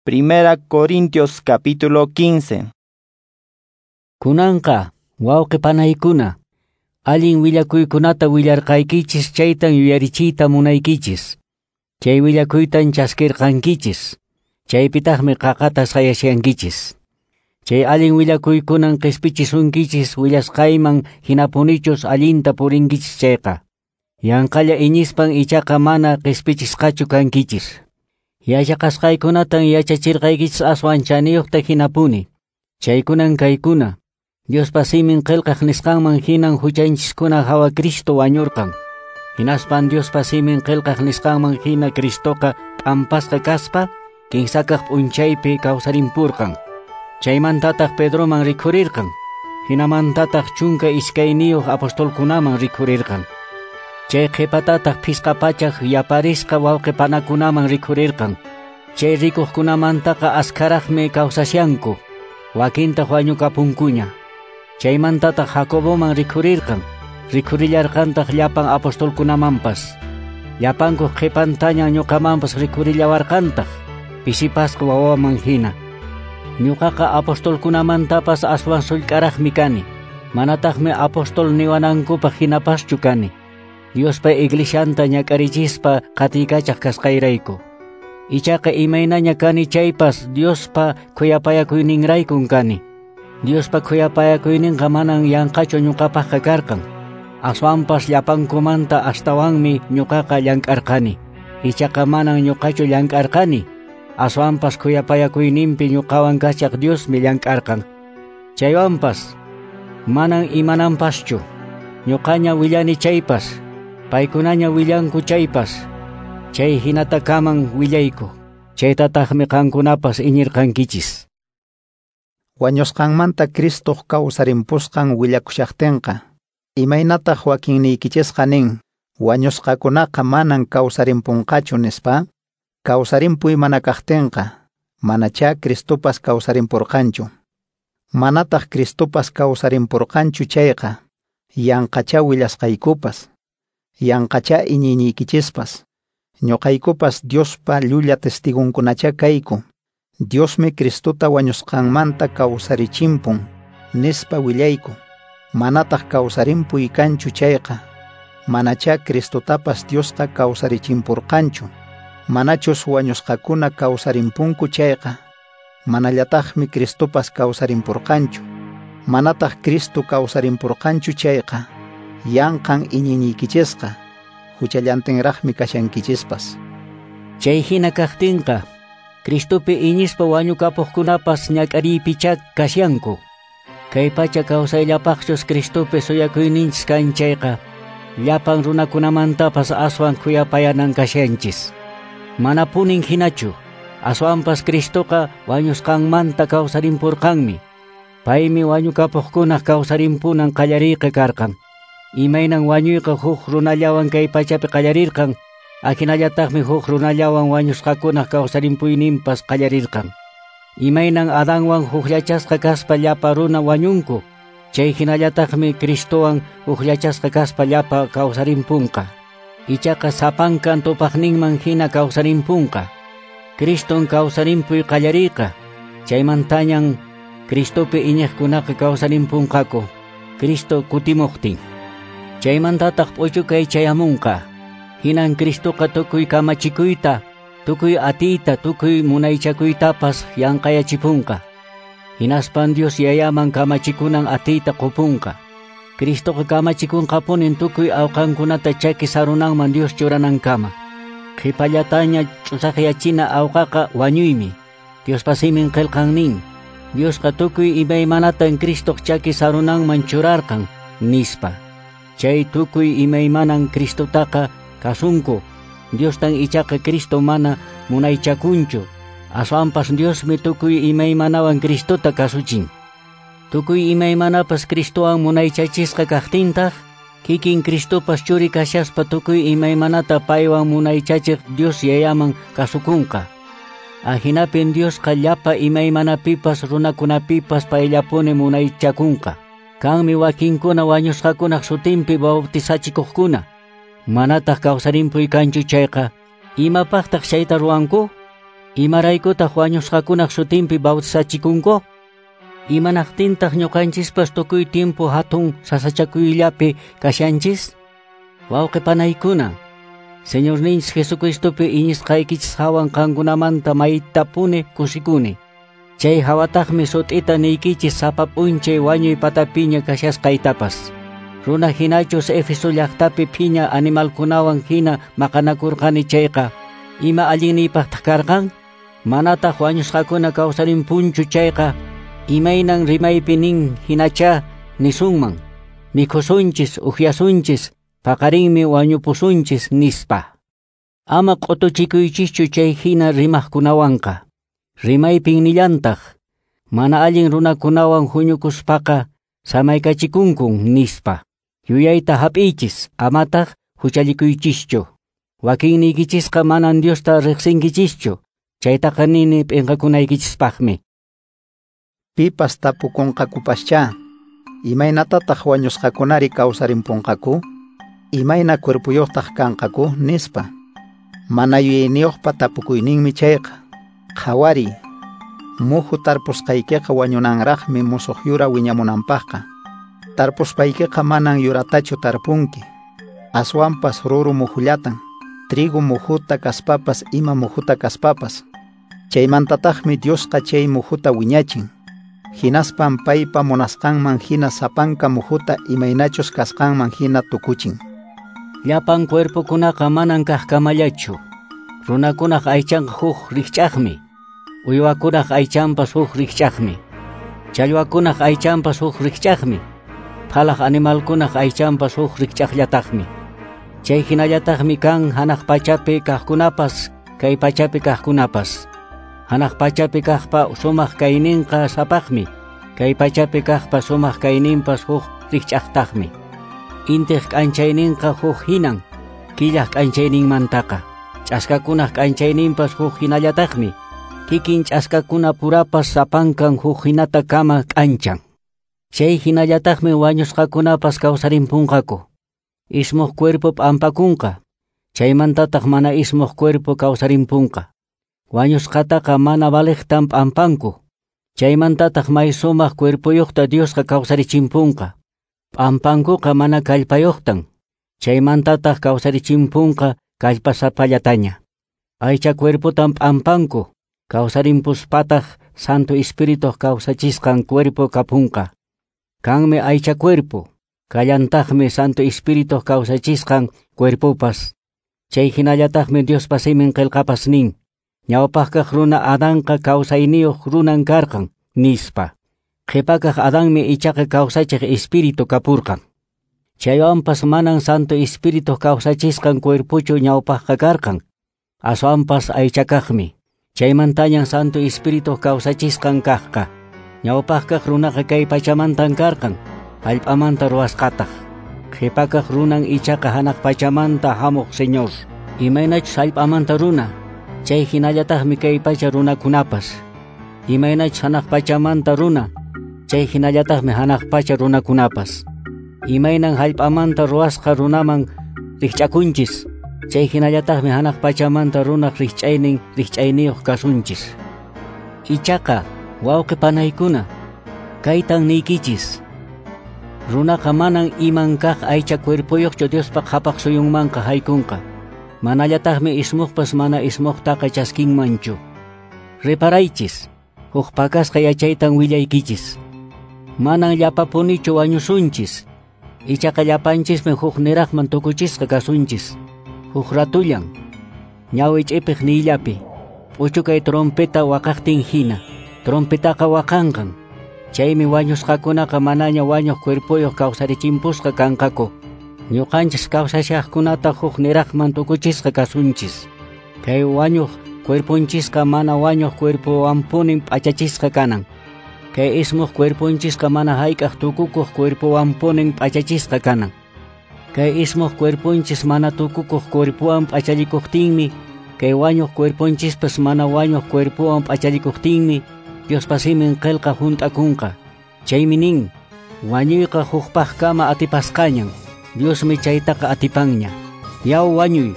Primera Corintios capítulo 15. Kunanqa, wawqi panaykuna, allin willakuykunata willarqaykichis chaytan yuyarichiyta munaykichis. Chay willakuytan chaskirqankichis. Chaypitaqmi qaqata sayashankichis. Chay allin willakuykunan qispichisunkichis willasqayman hinapunichus allinta purinkichis chayqa. Yanqalla iñispan ichaqa mana qispichisqachu kankichis. Yachaqasqaykunatan yachachirqaykichis aswan chaniyuqta hinapuni. Chaykunan kaykuna. Diospa simin qillqaq nisqanman hinan huchanchiskuna hawa Cristo wañurqan. Hinaspan Diospa simin qillqaq nisqanman hina Cristoqa p'ampasqa kaspa kinsakaq p'unchaypi kawsarimpurqan. Chaymantataq Pedroman rikhurirqan. Hinamantataq 12 apostolkunaman rikhurirqan. Chay qhipatataq phisqa pachaq yaparisqa wawqipanakunaman rikhurirqan. Chay rikuqkunamantaqa askaraqmi kawsashanku, wakintaq wañukapunkuña. Chaymantataq Jacoboman rikhurirqan, rikhurillarqantaq llapan apostolkunamanpas. Llapankuq qhipantaña ñuqamanpas rikhurillawarqantaq, pisipasqa wawaman hina. Ñuqaqa apostolkunamantapas aswan sullk'araqmi kani, manataqmi apostol niwanankupaq hinapaschu kani. Diospa iglesianta ñak'arichispa qatiykachaq kasqayrayku. Ichaqa imaynaña kani chaypas Diospa khuyapayakuyninraykun kani. Diospa khuyapayakuyninqa manan yanqachu ñuqapaqqa karqan. Aswanpas llapankumanta astawanmi ñuqaqa llank'arqani. Ichaqa manan ñuqachu llank'arqani. Aswanpas khuyapayakuyninpi ñuqawan kachaq Diosmi llank'arqan. Chaywanpas manan imananpaschu. Ñuqaña willani chaypas, paykunaña willanku chaypas, chay hinatakaman willayku. Chaytataqmi qankunapas iñirqankichis. Wañusqanmanta Cristoq kawsarimpusqan willakushaqtinqa, imaynataq wakinniykichisqa nin, wañusqakunaqa manan kawsarimpunqachu nispa? Kawsarimpuy mana kaqtinqa, manachá Cristopas kawsarimpurqanchu. Manataq Cristopas kawsarimpurqanchu chayqa, yanqachá willasqaykupas, yanqachá iñiyniykichispas. Ñuqaykupas Diospa llulla testigunkunachá kayku. Diosmi Cristota wañusqanmanta kawsarichimpun, nispa willayku. Manataq kawsarimpuy kanchu chayqa, manachá Cristotapas Diosqa kawsarichimpurqanchu. Manachus wañusqakuna kawsarimpunku chayqa, manallataqmi Cristopas kawsarimpurqanchu. Manataq Cristo kawsarimpurqanchu chayqa, yanqan iñiyniykichisqa, huchallantinraqmi kashankichispas. Chay hina kaqtinqa, Cristopi iñispa wañukapuqkunapas ñak'ariypichá kashanku. Kay pacha kawsayllapaqchus Cristopi suyakuyninchis kan chayqa, llapan runakunamantapas aswan khuyapayanan kashanchis. Manapunin hinachu, aswanpas Cristoqa wañusqanmanta kawsarimpurqanmi. Paymi wañukapuqkunaq kawsarimpunan qallariyqa karqan. Imaynan wañuyqa huk runallawan kay pachapi qallarirqan, ahinallataqmi huk runallawan wañusqakunaq kawsarimpuyninpas qallarirqan. Imaynan Adanwan hukllachasqa kaspa llapa runa wañunku, chay hinallataqmi Cristowan hukllachasqa kaspa llapa kawsarimpunqa. Ichaqa sapankan tupaqninman hina kawsarimpunqa. Criston kawsarimpuy qallariyqa, chaymantañan Cristopi iñiqkunaqa kawsarimpunqaku, Cristo kutimuqtin. Chaymantataq p'uchukay chayamunqa. Hinan Cristoqa tukuy kamachikuyta, tukuy atiyta, tukuy munaychakuytapas yanqayachipunqa. Hinaspan Dios yayaman kamachikunan atiyta qupunqa. Cristoqa kamachikunqapunin tukuy awqankunata chaki sarunanman Dios churanankama. Qhipallataña ch'usaqyachina awqaqa wañuymi. Diospa simin qillqan nin, Diosqa tukuy imaymanatan Cristoq chaki sarunanman churarqan, nispa. Chay tukuy imaymanan Cristotaqa kasunku. Diostan ichaqa Cristo mana munaychakunchu. Aswanpas Diosmi tukuy imaymanawan Cristota kasuchin. Tukuy imaymanapas Cristowan munaychachisqa kaqtintaq, kikin Cristopas churi kashaspa tukuy imaymanata paywan munaychachiq Dios yayaman kasukunqa. Ahinapin Diosqa llapa imaymanapipas runakunapipas payllapuni munaychakunqa. Kanmi wakinkuna wañusqakunaq sutinpibautizachikuqkuna. Manataq kawsarimpuy kanchu chayqa, imapaqtaq chayta ruwanku? Imaraykutaq wañusqakunaq sutinpi bautizachikunku? Imanaqtintaq ñuqanchispas tukuy tiempo hatun sasachakuyllapi kashanchis? Wawqi panaykuna, Señorninchis Jesucristopi iñisqaykichis hawan qankunamanta maytapuni kusikuni. Chay hawataqmi sut'ita niykichis sapa p'unchay wañuy patapiña kashasqaytapas. Runa hinachus Éfeso llaqtapi phiña animalkunawan hina maqanakurqani chayqa, ima allinniypaqtaq karqan? Manataq wañusqakuna kawsarimpunchu chayqa, imaynan rimaypi nin hinacha nisunman, mikhusunchis upyasunchis, paqarinmi wañupusunchis nispa. Ama q'utuchikuychischu chay hina rimaqkunawanqa. Rimaypin nillantaq, mana allin runakunawan huñukuspaqa samaykachikunkun nispa. Yuyayta hap'iychis, amataq huchallikuychischu. Wakinniykichisqa manan Diosta riqsinkichischu, chaytaqa nini p'inqakunaykichispaqmi. Pipas tapukunqakupaschá, imaynatataq wañusqakunari kawsarimpunqaku? Imayna cuerpuyuqtaq kanqaku? Nispa. Mana yuyayniyuqpa tapukuyninmi chayqa. Qhawariy, muhu tarpusqaykiqa wañunanraqmi musuq yura wiñamunanpaqqa. Tarpuspaykiqa manan yuratachu tarpunki, aswanpas ruru muhullatan, trigo muhuta kaspapas ima muhuta kaspapas. Chaymantataqmi Diosqa chay muhuta wiñachin. Hinaspan paypa munasqanman hina sapanka muhuta imaynachus kasqanman hina tukuchin. Llapan cuerpokunaqa manan kaqkamallachu. Runakunaq aychanqa huk rikch'aqmi, uywakunaq aychanpas huk rikch'aqmi, challwakunaq aychanpas huk rikch'aqmi, phalaq animalkunaq aychanpas huk rikch'aqllataqmi. Chay hinallataqmi kan hanaq pachapi kaqkunapas, kay pachapi kaqkunapas. Hanaq pachapi kaqpa sumaq kayninqa sapaqmi, kay pachapi kaqpa sumaq kayninpas huk rikch'aqtaqmi. Intiq k'anchayninqa huk hinan, killaq k'anchayninmantaqa. Ch'askakunaq k'anchayninpas huk hinallataqmi, kikin ch'askakuna purapas sapankan huk hinata kama k'anchan. Chay hinallataqmi wañusqakunapas kawsarimpunqaku. Ismuq cuerpo p'ampakunqa, chaymantataq mana ismuq cuerpo kawsarimpunqa. Wañusqataqa mana valiqtan p'ampanku, chaymantataq may sumaq cuerpoyuqta Diosqa kawsarichimpunqa. P'ampankuqa mana kallpayuqtan, chaymantataq kawsarichimpunqa kallpasapallataña. Aycha cuerpotan p'ampanku, kawsarimpuspataq Santo Espíritu kawsachisqan cuerpo kapunqa. Kanmi aycha cuerpo, kallantaqmi Santo Espíritu kawsachisqan cuerpopas. Chay hinallataqmi Diospa simin qillqapas nin, ñawpaqkaq runa Adanqa kawsayniyuq runan karqan, nispa. Qhipakaq Adanmi ichaqa kawsachiq Espíritu kapurqan. Chaywanpas manan Santo Espíritu kawsachisqan cuerpochu ñawpaqqa karqan, aswanpas aychakaqmi. Chaymantañan Santo Espíritu kawsachisqan kaqqa. Ñawpaqkaq runaqa kay pachamantan karqan, hallp'amanta ruwasqataq. Qhipakaq runan ichaqa hanaq pachamanta hamuq Señor. Imaynachus hallp'amanta runa, chay hinallataqmi kay pacha runakunapas. Imaynachus hanaq pachamanta runa, chay hinallataqmi hanaq pacha runakunapas. Imaynan hallp'amanta ruwasqa runaman rikch'akunchis, chay hinallataqmi hanaq pachamanta runaq rikch'aynin rikch'ayniyuq kasunchis. Ichaqa, wawqi panaykuna, kaytan niykichis. Runaqa manan iman kaq aycha cuerpoyuqchu Diospa qhapaq suyunmanqa haykunqa. Manallataqmi ismuqpas mana ismuqtaqa chaskinmanchu. Reparaychis, huk pakasqa yachaytan willaykichis. Manan llapapunichu wañusunchis. Ichaqa llapanchismi huk niraqman tukuchisqa kasunchis. Huk ratullan, ñawi ch'ipiq niyllapi, p'uchukay trompeta waqaqtin hina, trompetaqa waqanqan. Chaymi wañusqakunaqa manaña wañuq cuerpoyuq kawsarichimpusqa kanqaku. Ñuqanchis kawsashaqkunata huk niraqman tukuchisqa kasunchis. Kay wañuq cuerponchisqa mana wañuq cuerpowanpunin p'achachisqa kanan. Kay ismuq cuerponchisqa mana hayk'aq tukukuq cuerpowanpunin p'achachisqa kanan. Kay ismuq cuerponchis mana tukukuq cuerpowan p'achallikuqtinmi, kay wañuq cuerponchispas mana wañuq cuerpowan p'achallikuqtinmi, Diospa simin qillqa hunt'akunqa. Chaymi nin, wañuyqa hukpaqkama atipasqañan, Diosmi chaytaqa atipanña. Yaw wañuy,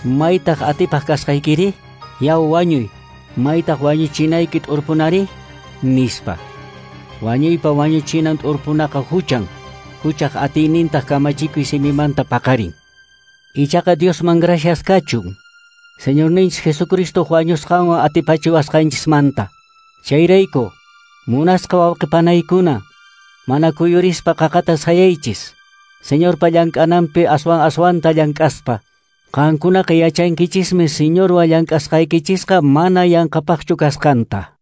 maytaq atipaq kasqaykiri? Yaw wañuy, Maytaq wañuchinayki t'urpunari? Nispa. Wañuypa wañuchinan t'urpunaqa huchan, huchaq atiynintaq kamachikuy simimanta paqarin. Ichaqa Diosman gracias kachun, Señorninchis Jesucristo wañusqanwan atipachiwasqanchismanta. Chayrayku, munasqa wawqipanaykuna, mana kuyurispa qaqata sayaychis, Señorpa llank'ananpi aswan aswanta llank'aspa. Qankunaqa yachankichismi Señorwan llank'asqaykichisqa mana yanqapaqchu kasqanta.